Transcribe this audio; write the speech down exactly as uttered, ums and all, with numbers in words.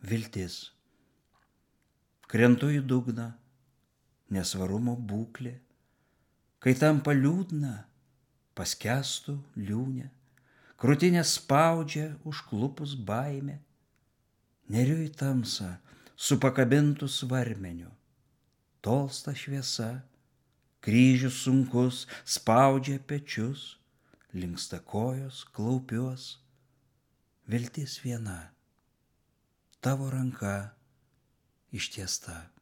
viltis. Krentu į dugną, nesvarumo būklė, kai tampa liūdna, paskęstu liūne, krūtinę spaudžia užklupus baimė, neriu į tamsą su pakabintu svarmeniu, tolsta šviesa, kryžius sunkus spaudžia pečius, linksta kojos, klaupiuos, viltis viena, tavo ranka ištiesta.